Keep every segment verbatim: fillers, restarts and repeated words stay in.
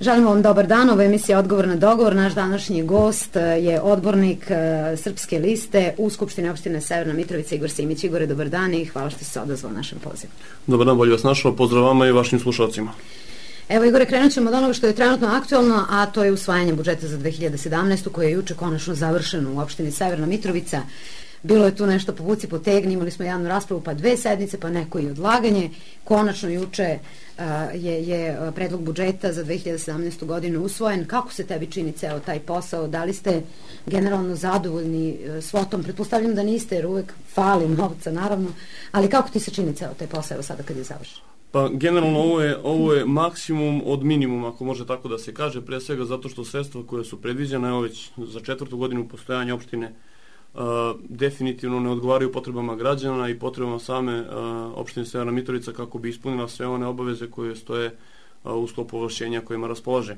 Želimo vam dobar dan, ovo je emisija Odgovor na dogovor. Naš današnji gost je odbornik Srpske liste u Skupštini opštine Severna Mitrovica, Igor Simić. Igore, dobar dan i hvala što ste se odazvali našem pozivu. Dobar dan, bolje vas našao, pozdrav vama i vašim slušalcima. Evo, Igore, krenut ćemo od onoga što je trenutno aktualno, a to je usvajanje budžeta za dve hiljade sedamnaestu koji je juče konačno završen u opštini Severna Mitrovica. Bilo je tu nešto povuci potegni, imali smo javnu raspravu, pa dve sednice, pa neko i odlaganje. Konačno juče uh, je, je predlog budžeta za dve hiljade sedamnaestu godinu usvojen. Kako se tebi čini ceo taj posao? Da li ste generalno zadovoljni uh, svotom? Pretpostavljam da niste, jer uvek fali novca, naravno, ali kako ti se čini ceo taj posao sada kad je završen? Pa generalno ovo je, ovo je maksimum od minimuma, ako može tako da se kaže, pre svega zato što sredstva koje su predviđene, evo već za četvrtu godinu postojanja opštine, Uh, definitivno ne odgovaraju potrebama građana i potrebama same uh, opštine Severna Mitrovica kako bi ispunila sve one obaveze koje stoje uh, u sklopu ovlašćenja kojima raspolaže.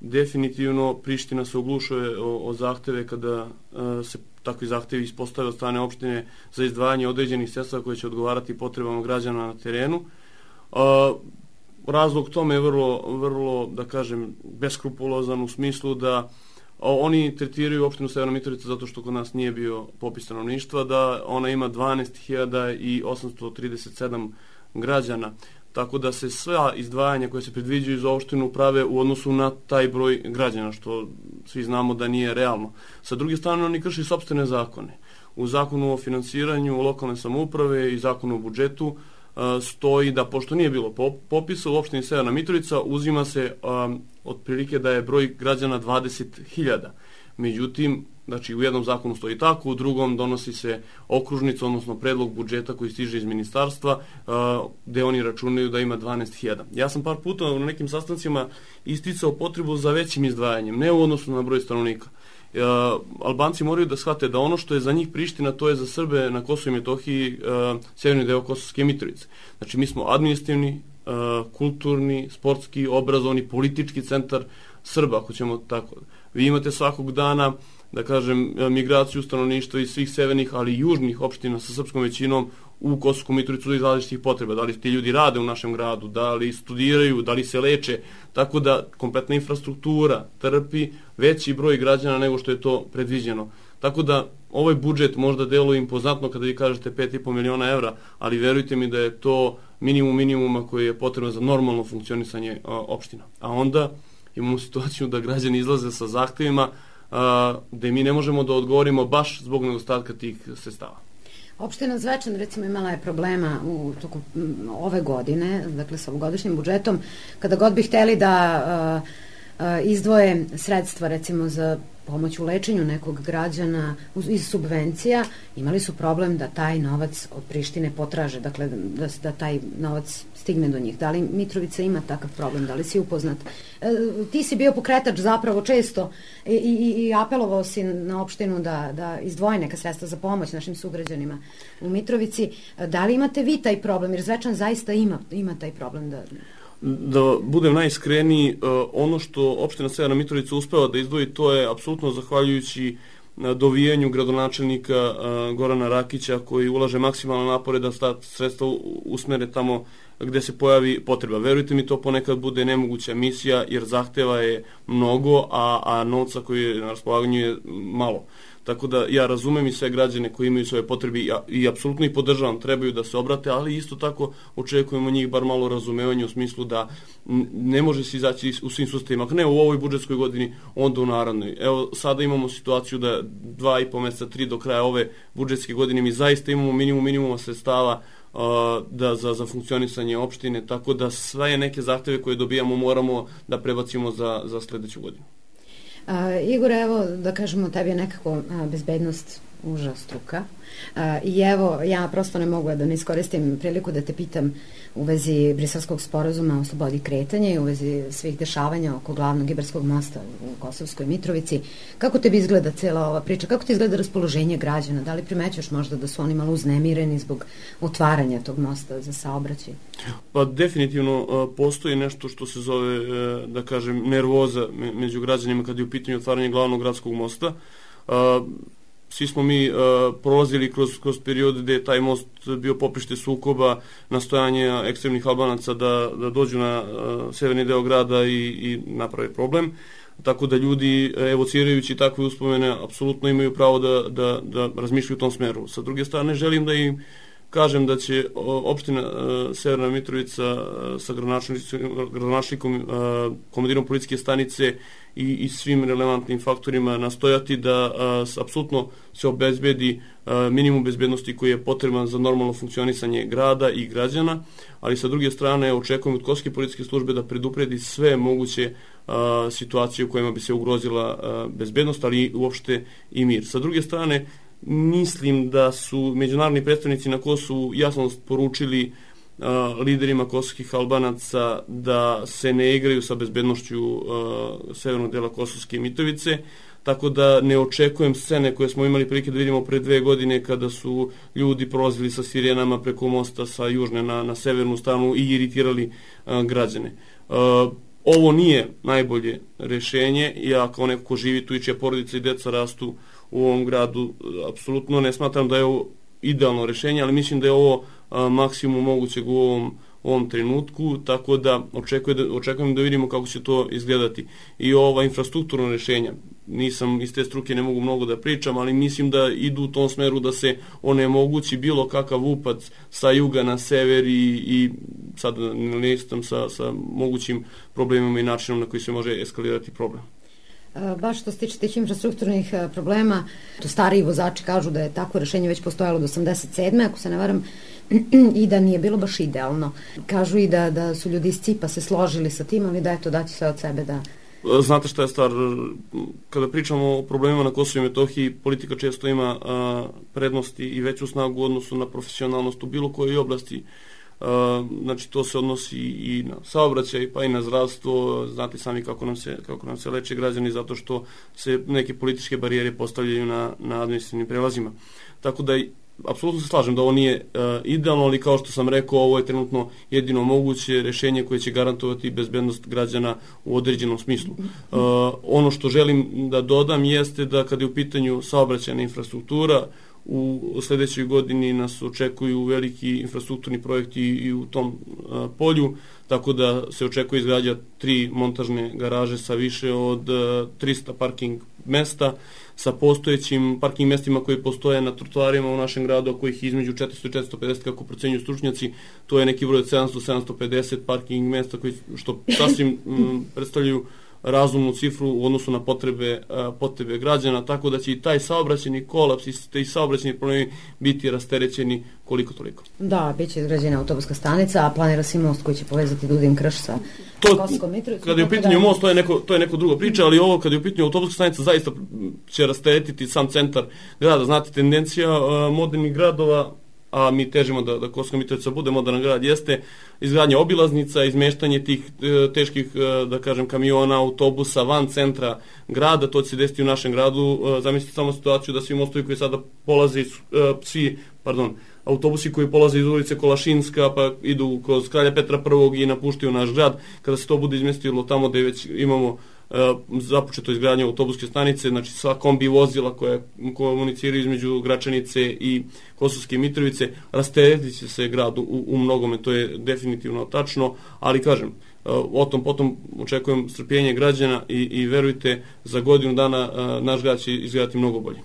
Definitivno Priština se oglušuje o, o zahteve kada uh, se takvi zahtevi ispostave od strane opštine za izdvajanje određenih sredstva koje će odgovarati potrebama građana na terenu. Uh, razlog tome je vrlo, vrlo, da kažem, beskrupulozan u smislu da oni tretiraju opštinu Severna Mitrovica zato što kod nas nije bio popis stanovništva, da ona ima dvanaest hiljada osamsto trideset sedam građana, tako da se sva izdvajanja koje se predviđaju za opštinu prave u odnosu na taj broj građana, što svi znamo da nije realno. Sa druge strane, oni krši sopstvene zakone. U zakonu o finansiranju lokalne samouprave i zakonu o budžetu stoji da pošto nije bilo popisa u opštini Severna Mitrovica, uzima se um, otprilike da je broj građana dvadeset hiljada. Međutim, znači u jednom zakonu stoji tako, u drugom donosi se okružnica, odnosno predlog budžeta koji stiže iz ministarstva, uh, gde oni računaju da ima dvanaest hiljada. Ja sam par puta na nekim sastancima isticao potrebu za većim izdvajanjem, ne u odnosu na broj stanovnika. Uh, Albanci moraju da shvate da ono što je za njih Priština, to je za Srbe na Kosovu i Metohiji uh, severni deo Kosovske Mitrovice. Znači mi smo administrativni, uh, kulturni, sportski, obrazovni, politički centar Srba, ako ćemo tako. Vi imate svakog dana, da kažem, migraciju stanovništva iz svih severnih, ali i južnih opština sa srpskom većinom u Kosovsku Mitrovicu iz različitih potreba. Da li ti ljudi rade u našem gradu, da li studiraju, da li se leče, tako da kompletna infrastruktura trpi veći broj građana nego što je to predviđeno. Tako da ovaj budžet možda deluje impozantno kada vi kažete pet i po miliona evra, ali verujte mi da je to minimum minimuma koji je potrebno za normalno funkcionisanje a, opština. A onda imamo situaciju da građani izlaze sa zahtevima a, gde mi ne možemo da odgovorimo baš zbog nedostatka tih sredstava. Opština Zvečan, recimo, imala je problema u toku ove godine, dakle sa ovogodišnjim budžetom, kada god bi hteli da uh, uh, izdvoje sredstva, recimo, za pomoć u lečenju nekog građana iz subvencija, imali su problem da taj novac od Prištine potraže, dakle da, da taj novac stigne do njih. Da li Mitrovica ima takav problem, da li si upoznat? E, ti si bio pokretač zapravo često i, i, i apelovao si na opštinu da, da izdvoji neka sredstva za pomoć našim sugrađanima u Mitrovici. Da li imate vi taj problem? Jer Zvečan zaista ima, ima taj problem da... Da budem najiskreniji, ono što opština Severna Mitrovica uspeva da izdvoji, to je apsolutno zahvaljujući dovijanju gradonačelnika Gorana Rakića, koji ulaže maksimalne napore da ta sredstva usmere tamo gde se pojavi potreba. Verujte mi, to ponekad bude nemoguća misija, jer zahteva je mnogo, a, a novca koji je na raspolaganju je malo. Tako da ja razumem i sve građane koji imaju svoje potrebe i, i apsolutno ih podržavam, trebaju da se obrate, ali isto tako očekujemo njih bar malo razumevanja u smislu da ne može se izaći u svim sustavima. Ako ne u ovoj budžetskoj godini, onda u narednoj. Evo, sada imamo situaciju da dva i po meseca, tri do kraja ove budžetske godine mi zaista imamo minimum minimuma sredstava uh, da, za, za funkcionisanje opštine, tako da sve neke zahteve koje dobijamo moramo da prebacimo za, za sledeću godinu. Uh, Igor, evo da kažemo, tebi je nekako uh, bezbednost uža struka uh, i evo ja prosto ne mogu da ne iskoristim priliku da te pitam u vezi Briselskog sporazuma o slobodi kretanja i u vezi svih dešavanja oko glavnog Ibarskog mosta u Kosovskoj Mitrovici. Kako tebi izgleda cela ova priča? Kako ti izgleda raspoloženje građana? Da li primećuješ možda da su oni malo uznemireni zbog otvaranja tog mosta za saobraćaj? Pa definitivno uh, postoji nešto što se zove, uh, da kažem, nervoza me, među građanima kad je u pitanju otvaranje glavnog gradskog mosta. Uh, svi smo mi uh, prolazili kroz, kroz period gde je taj most bio poprište sukoba, nastojanje ekstremnih Albanaca da, da dođu na uh, severni deo grada i, i naprave problem. Tako da ljudi, evocirajući takve uspomene, apsolutno imaju pravo da, da, da razmišljaju u tom smeru. Sa druge strane, želim da im kažem da će opština uh, Severna Mitrovica uh, sa gradonačelnikom, uh, komandirom policijske stanice i, i svim relevantnim faktorima nastojati da uh, apsolutno se obezbedi uh, minimum bezbednosti koji je potreban za normalno funkcionisanje grada i građana, ali sa druge strane očekujem od Kosovske policijske službe da predupredi sve moguće uh, situacije u kojima bi se ugrozila uh, bezbednost, ali uopšte i mir. Sa druge strane, mislim da su međunarodni predstavnici na Kosovu jasno poručili uh, liderima kosovskih Albanaca da se ne igraju sa bezbednošću uh, severnog dela Kosovske Mitrovice, tako da ne očekujem scene koje smo imali prilike da vidimo pre dve godine kada su ljudi prolazili sa sirenama preko mosta sa južne na, na severnu stranu i iritirali uh, građane. Uh, ovo nije najbolje rešenje. Ja kao neko ko živi tu i čija porodica i deca rastu u ovom gradu, apsolutno ne smatram da je ovo idealno rešenje, ali mislim da je ovo a, maksimum mogućeg u ovom, u ovom trenutku, tako da očekujem, da očekujem da vidimo kako će to izgledati. I ova infrastrukturna rešenja, nisam iz te struke, ne mogu mnogo da pričam, ali mislim da idu u tom smeru da se onemogući bilo kakav upac sa juga na sever i, i sad ne listam sa, sa mogućim problemima i načinom na koji se može eskalirati problem. Baš što se tiče tih infrastrukturnih problema, to stariji vozači kažu da je takvo rešenje već postojalo od osamdeset sedme ako se ne varam, i da nije bilo baš idealno. Kažu i da, da su ljudi iz C I P-a se složili sa tim, ali da je to dati sve od sebe da... Znate šta je stvar, kada pričamo o problemima na Kosovu i Metohiji, politika često ima a, prednosti i veću snagu u odnosu na profesionalnost u bilo kojoj oblasti. Uh, znači to se odnosi i na saobraćaj pa i na zdravstvo. Znate sami kako nam se, kako nam se leče građani zato što se neke političke barijere postavljaju na, na administrativnim prelazima. Tako da apsolutno se slažem da ovo nije uh, idealno, ali kao što sam rekao, ovo je trenutno jedino moguće rešenje koje će garantovati bezbednost građana u određenom smislu. Uh, ono što želim da dodam jeste da kada je u pitanju saobraćajna infrastruktura, u sledećoj godini nas očekuju veliki infrastrukturni projekti i u tom a, polju, tako da se očekuje izgradnja tri montažne garaže sa više od a, trista parking mesta, sa postojećim parking mestima koji postoje na trotoarima u našem gradu, a kojih između četiristo i četiristo pedeset kako procenjuju stručnjaci, to je neki broj od sedamsto do sedamsto pedeset parking mesta koji, što sasvim m, predstavljaju razumnu cifru u odnosu na potrebe, potrebe građana, tako da će i taj saobraćeni kolaps i taj saobraćeni problemi biti rasterećeni koliko toliko. Da, bit će izgrađena autobuska stanica, a planira se most koji će povezati Dudin Krš sa Kosovskom Mitrovicom. Kada je u pitanju da... most, to je, neko, to je neko drugo priča, ali ovo kada je u pitanju autobuska stanica zaista će rasteretiti sam centar grada. Znate, tendencija uh, modernih gradova, a mi težimo da, da Kosovska Mitrovica bude moderan grad, jeste izgradnja obilaznica, izmeštanje tih e, teških, e, da kažem, kamiona, autobusa van centra grada. To će se desiti u našem gradu. E, zamislite samo situaciju da svi mostovi koji sada polaze, e, svi, pardon, autobusi koji polaze iz ulice Kolašinska pa idu kroz Kralja Petra prvog i napuštaju naš grad, kada se to bude izmestilo tamo gde već imamo započeto izgradnje autobuske stanice, znači sva kombi vozila koje komuniciraju između Gračanice i Kosovske Mitrovice, rasteretit će se grad u, u mnogome, to je definitivno tačno, ali kažem, o tom potom očekujem strpljenje građana i, i verujte, za godinu dana naš grad će izgledati mnogo bolje.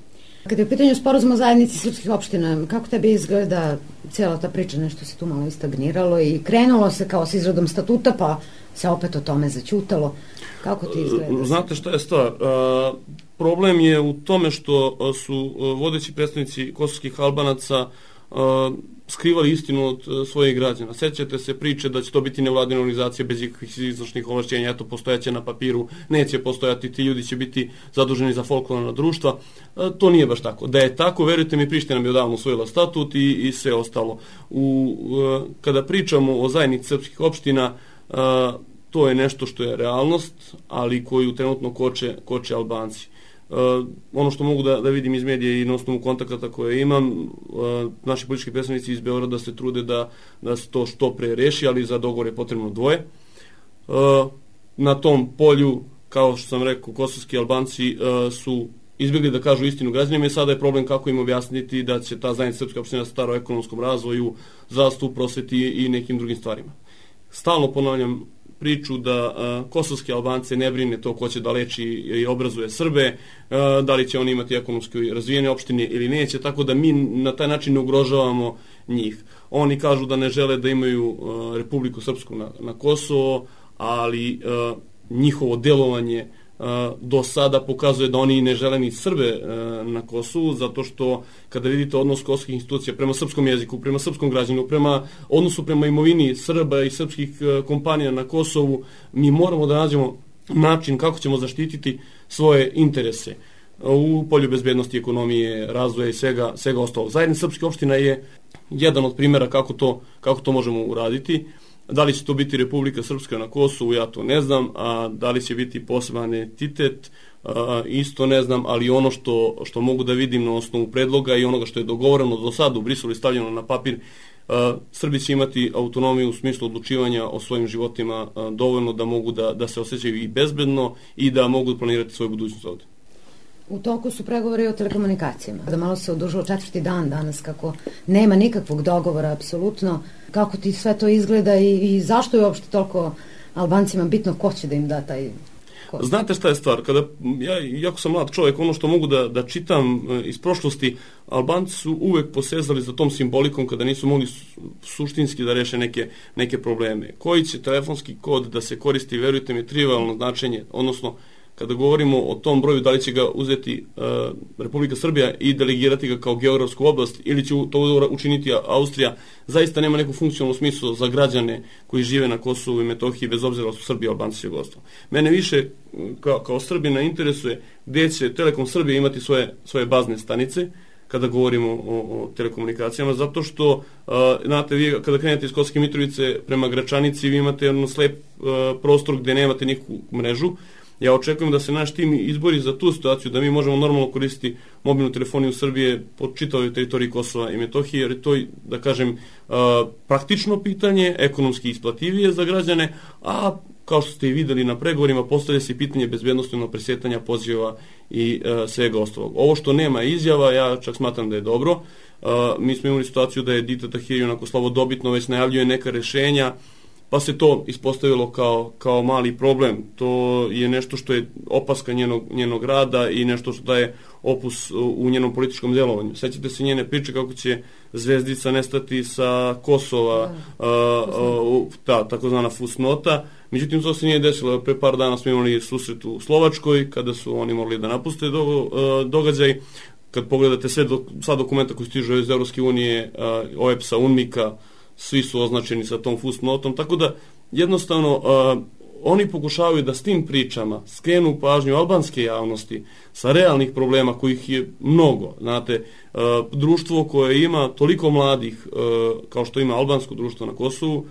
Kada je u pitanju sporazuma o zajednici srpskih opština, kako tebi izgleda cijela ta priča, nešto se tu malo istagniralo i krenulo se kao s izradom statuta, pa se opet o tome zaćutalo. Kako ti izgleda? Znate šta je stvar? Uh, problem je u tome što su uh, vodeći predstavnici kosovskih Albanaca uh, skrivali istinu od uh, svojih građana. Sećate se priče da će to biti nevladina organizacija bez ikakvih izvršnih ovlašćenja, eto postojaće na papiru, neće postojati, ti ljudi će biti zaduženi za folklorna društva. Uh, to nije baš tako. Da je tako, verujte mi, Priština bi odavno usvojila statut i, i sve ostalo. U, uh, kada pričamo o zajednici srpskih opština, uh, to je nešto što je realnost, ali koju trenutno koče, koče Albanci. Uh, ono što mogu da, da vidim iz medija i na osnovu kontakata koje imam, uh, naši politički predstavnici iz Beograda se trude da, da se to što pre reši, ali za dogovor je potrebno dvoje. Uh, na tom polju, kao što sam rekao, kosovski Albanci uh, su izbjegli da kažu istinu građanima i sada je problem kako im objasniti da će ta zajednica srpska opština stara o ekonomskom razvoju, zdravstvu, prosveti i nekim drugim stvarima. Stalno ponavljam priču da uh, kosovske Albance ne brine to ko će da leči i obrazuje Srbe, uh, da li će oni imati ekonomski razvijene opštine ili neće, tako da mi na taj način ne ugrožavamo njih. Oni kažu da ne žele da imaju uh, Republiku Srpsku na, na Kosovo, ali uh, njihovo delovanje uh, do sada pokazuje da oni ne žele ni Srbe uh, na Kosovu, zato što kada vidite odnos kosovskih institucija prema srpskom jeziku, prema srpskom građanu, prema odnosu prema imovini Srba i srpskih uh, kompanija na Kosovu, mi moramo da nađemo način kako ćemo zaštititi svoje interese u polju bezbednosti, ekonomije, razvoja i svega, svega ostalog. Zajednica srpskih opština je jedan od primjera kako to, kako to možemo uraditi. Da li će to biti Republika Srpska na Kosovu, ja to ne znam, a da li će biti poseban entitet, a, isto ne znam, ali ono što, što mogu da vidim na osnovu predloga i onoga što je dogovoreno do sada u Briselu i stavljeno na papir, a, Srbi će imati autonomiju u smislu odlučivanja o svojim životima a, dovoljno da mogu da, da se osjećaju i bezbedno i da mogu planirati svoju budućnost ovde. U toku su pregovori o telekomunikacijama. Da malo se odužilo četvrti dan danas kako nema nikakvog dogovora, apsolutno. Kako ti sve to izgleda i, i zašto je uopšte toliko Albancima bitno ko će da im da taj kod? Znate šta je stvar? Kada, ja, jako sam mlad čovjek, ono što mogu da, da čitam iz prošlosti, Albanci su uvek posezali za tom simbolikom kada nisu mogli suštinski da reše neke, neke probleme. Koji će telefonski kod da se koristi, verujte mi, trivialno značenje, odnosno kada govorimo o tom broju, da li će ga uzeti uh, Republika Srbija i delegirati ga kao geografsku oblast ili će to učiniti Austrija, zaista nema neku funkcionalnu smislu za građane koji žive na Kosovu i Metohiji, bez obzira su Srbija, Albanci i Jugoslavija. Mene više kao, kao Srbina interesuje gdje će Telekom Srbije imati svoje, svoje bazne stanice kada govorimo o, o telekomunikacijama, zato što, uh, znate, vi kada krenete iz Kosovske Mitrovice prema Gračanici, vi imate jedan slep uh, prostor gdje nemate nikakvu mrežu. Ja očekujem da se naš tim izbori za tu situaciju, da mi možemo normalno koristiti mobilnu telefoniju Srbije po čitavoj teritoriji Kosova i Metohije, jer je to, da kažem, praktično pitanje, ekonomski isplativije za građane, a kao što ste i videli na pregovorima, postavlja se pitanje bezbednostnog presjetanja poziva i svega ostalog. Ovo što nema izjava, ja čak smatram da je dobro. Mi smo imali situaciju da je Dita Tahiri onako slavodobitno već najavljuje neka rešenja, pa se to ispostavilo kao, kao mali problem. To je nešto što je opaska njenog, njenog rada i nešto što daje opus u njenom političkom djelovanju. Sećate se njene priče kako će zvezdica nestati sa Kosova, da, a, ta takozvana fusnota. Međutim, to se nije desilo. Pre par dana smo imali susret u Slovačkoj kada su oni morali da napuste do, a, događaj. Kad pogledate sve do, sva dokumenta koji stižu iz Evropske unije, O E P S-a, UNMIK-a, svi su označeni sa tom fusnotom, tako da jednostavno uh, oni pokušavaju da s tim pričama skrenu pažnju albanske javnosti sa realnih problema kojih je mnogo. Znate, uh, društvo koje ima toliko mladih uh, kao što ima albansko društvo na Kosovu,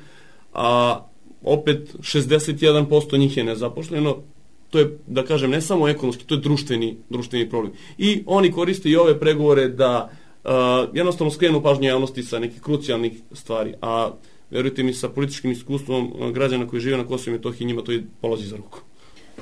a opet šezdeset jedan posto njih je nezaposleno, to je, da kažem, ne samo ekonomski, to je društveni, društveni problem. I oni koriste i ove pregovore da Uh, jednostavno skrenu pažnju javnosti sa nekih krucijalnih stvari, a verujte mi, sa političkim iskustvom uh, građana koji žive na Kosovu i Metohiji, njima to i polazi za ruku.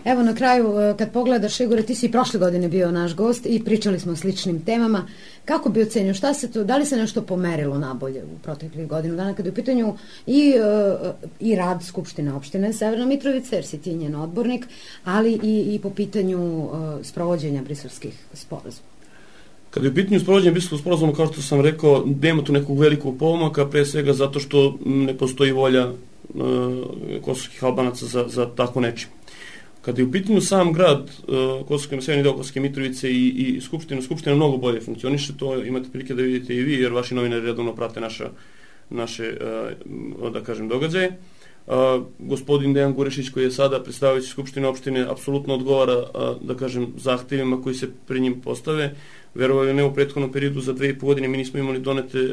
Evo na kraju, kad pogledaš, Igore, ti si i prošle godine bio naš gost i pričali smo o sličnim temama. Kako bi ocenio, šta se to, da li se nešto pomerilo nabolje u proteklih godinu dana kada je u pitanju i, uh, i rad Skupštine opštine Severna Mitrovica, jer si ti njen odbornik, ali i, i po pitanju uh, sprovođenja briselskih sporazuma? Kada je u pitanju sprovođenja Briselskog sporazuma, kao što sam rekao, nema tu nekog velikog pomaka, pre svega zato što ne postoji volja e, kosovskih Albanaca za, za tako nečim. Kada je u pitanju sam grad e, Kosovske, severni deo Kosovske Mitrovice i, i Skupština, Skupština mnogo bolje funkcioniše, to imate prilike da vidite i vi, jer vaši novinari redovno prate naša, naše, e, da kažem, događaje. Uh, gospodin Dejan Gurešić, koji je sada predstavljajući Skupštine opštine, apsolutno odgovara, uh, da kažem, zahtevima koji se pri njim postave. Verovali ne, u prethodnom periodu za dve i po godine mi nismo imali donete, uh,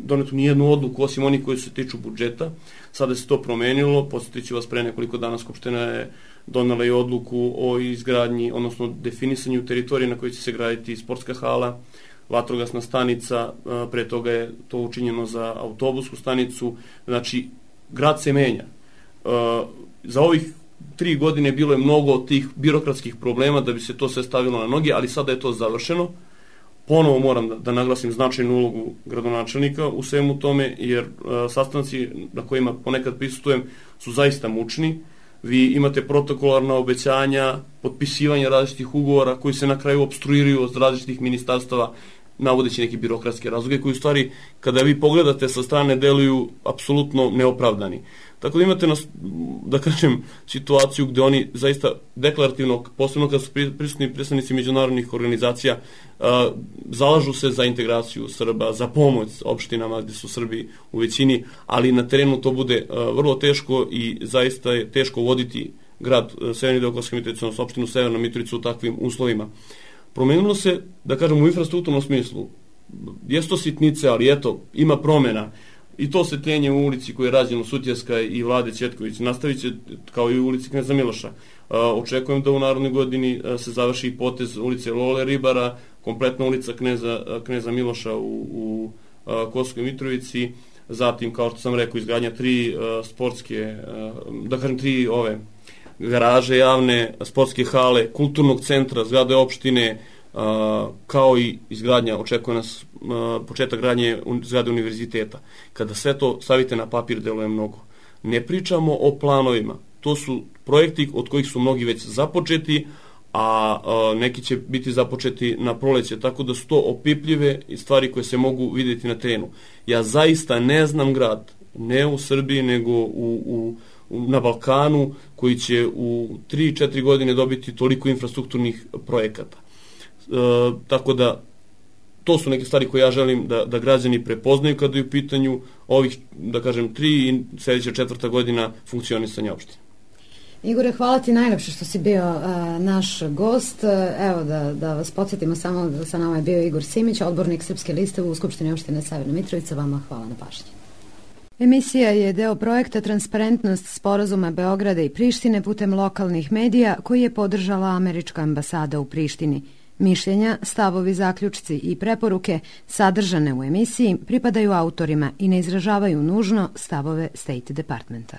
donetu nijednu odluku osim onih koji se tiču budžeta. Sada se to promenilo, podsjetiću vas, pre nekoliko dana Skupština je donela i odluku o izgradnji, odnosno definisanju teritorije na kojoj će se graditi sportska hala, vatrogasna stanica, uh, pre toga je to učinjeno za autobusku stanicu, znači grad se menja. Uh, za ovih tri godine bilo je mnogo tih birokratskih problema da bi se to sve stavilo na noge, ali sada je to završeno. Ponovo moram da, da naglasim značajnu ulogu gradonačelnika u svemu tome, jer a, sastanci na kojima ponekad prisustujem su zaista mučni. Vi imate protokolarna obećanja, potpisivanje različitih ugovora koji se na kraju opstruiraju od različitih ministarstava, navodeći neke birokratske razloge koji u stvari, kada vi pogledate sa strane, deluju apsolutno neopravdani. Tako da imate, nas, da kažem, situaciju gde oni zaista deklarativno, posebno kada su prisutni predstavnici međunarodnih organizacija, a, zalažu se za integraciju Srba, za pomoć opštinama gde su Srbi u većini, ali na terenu to bude a, vrlo teško i zaista je teško voditi grad Severni deo Kosovske Mitrovice, odnosno opštinu Severna Mitrovica u takvim uslovima. Promenilo se, da kažem, u infrastrukturnom smislu. Jesu to sitnice, ali eto, ima promjena. I to osvetljenje u ulici koje je rađeno Sutjeska i Vlade Ćetković nastavit će kao i u ulici Kneza Miloša. Očekujem da u narednoj godini se završi potez ulice Lole Ribara, kompletna ulica Kneza, Kneza Miloša u, u Kosovskoj Mitrovici, zatim, kao što sam rekao, izgradnja tri sportske, da kažem, tri ove garaže javne, sportske hale, kulturnog centra, zgrade opštine, kao i izgradnja, očekuje nas početak gradnje zgrade univerziteta. Kada sve to stavite na papir, deluje mnogo. Ne pričamo o planovima. To su projekti od kojih su mnogi već započeti, a neki će biti započeti na proleće, tako da su to opipljive stvari koje se mogu vidjeti na terenu. Ja zaista ne znam grad, ne u Srbiji, nego u, u na Balkanu, koji će u tri četiri godine dobiti toliko infrastrukturnih projekata. E, tako da, to su neke stvari koje ja želim da, da građani prepoznaju kada je u pitanju ovih, da kažem, tri i sljedeća četvrta godina funkcionisanja opštine. Igore, hvala ti najlepše što si bio a, naš gost. Evo da, da vas podsjetimo samo da sa nama je bio Igor Simić, odbornik Srpske liste u Skupštini opštine Severna Mitrovica. Vama hvala na pažnji. Emisija je deo projekta Transparentnost sporazuma Beograda i Prištine putem lokalnih medija koji je podržala američka ambasada u Prištini. Mišljenja, stavovi, zaključci i preporuke sadržane u emisiji pripadaju autorima i ne izražavaju nužno stavove State Departmenta.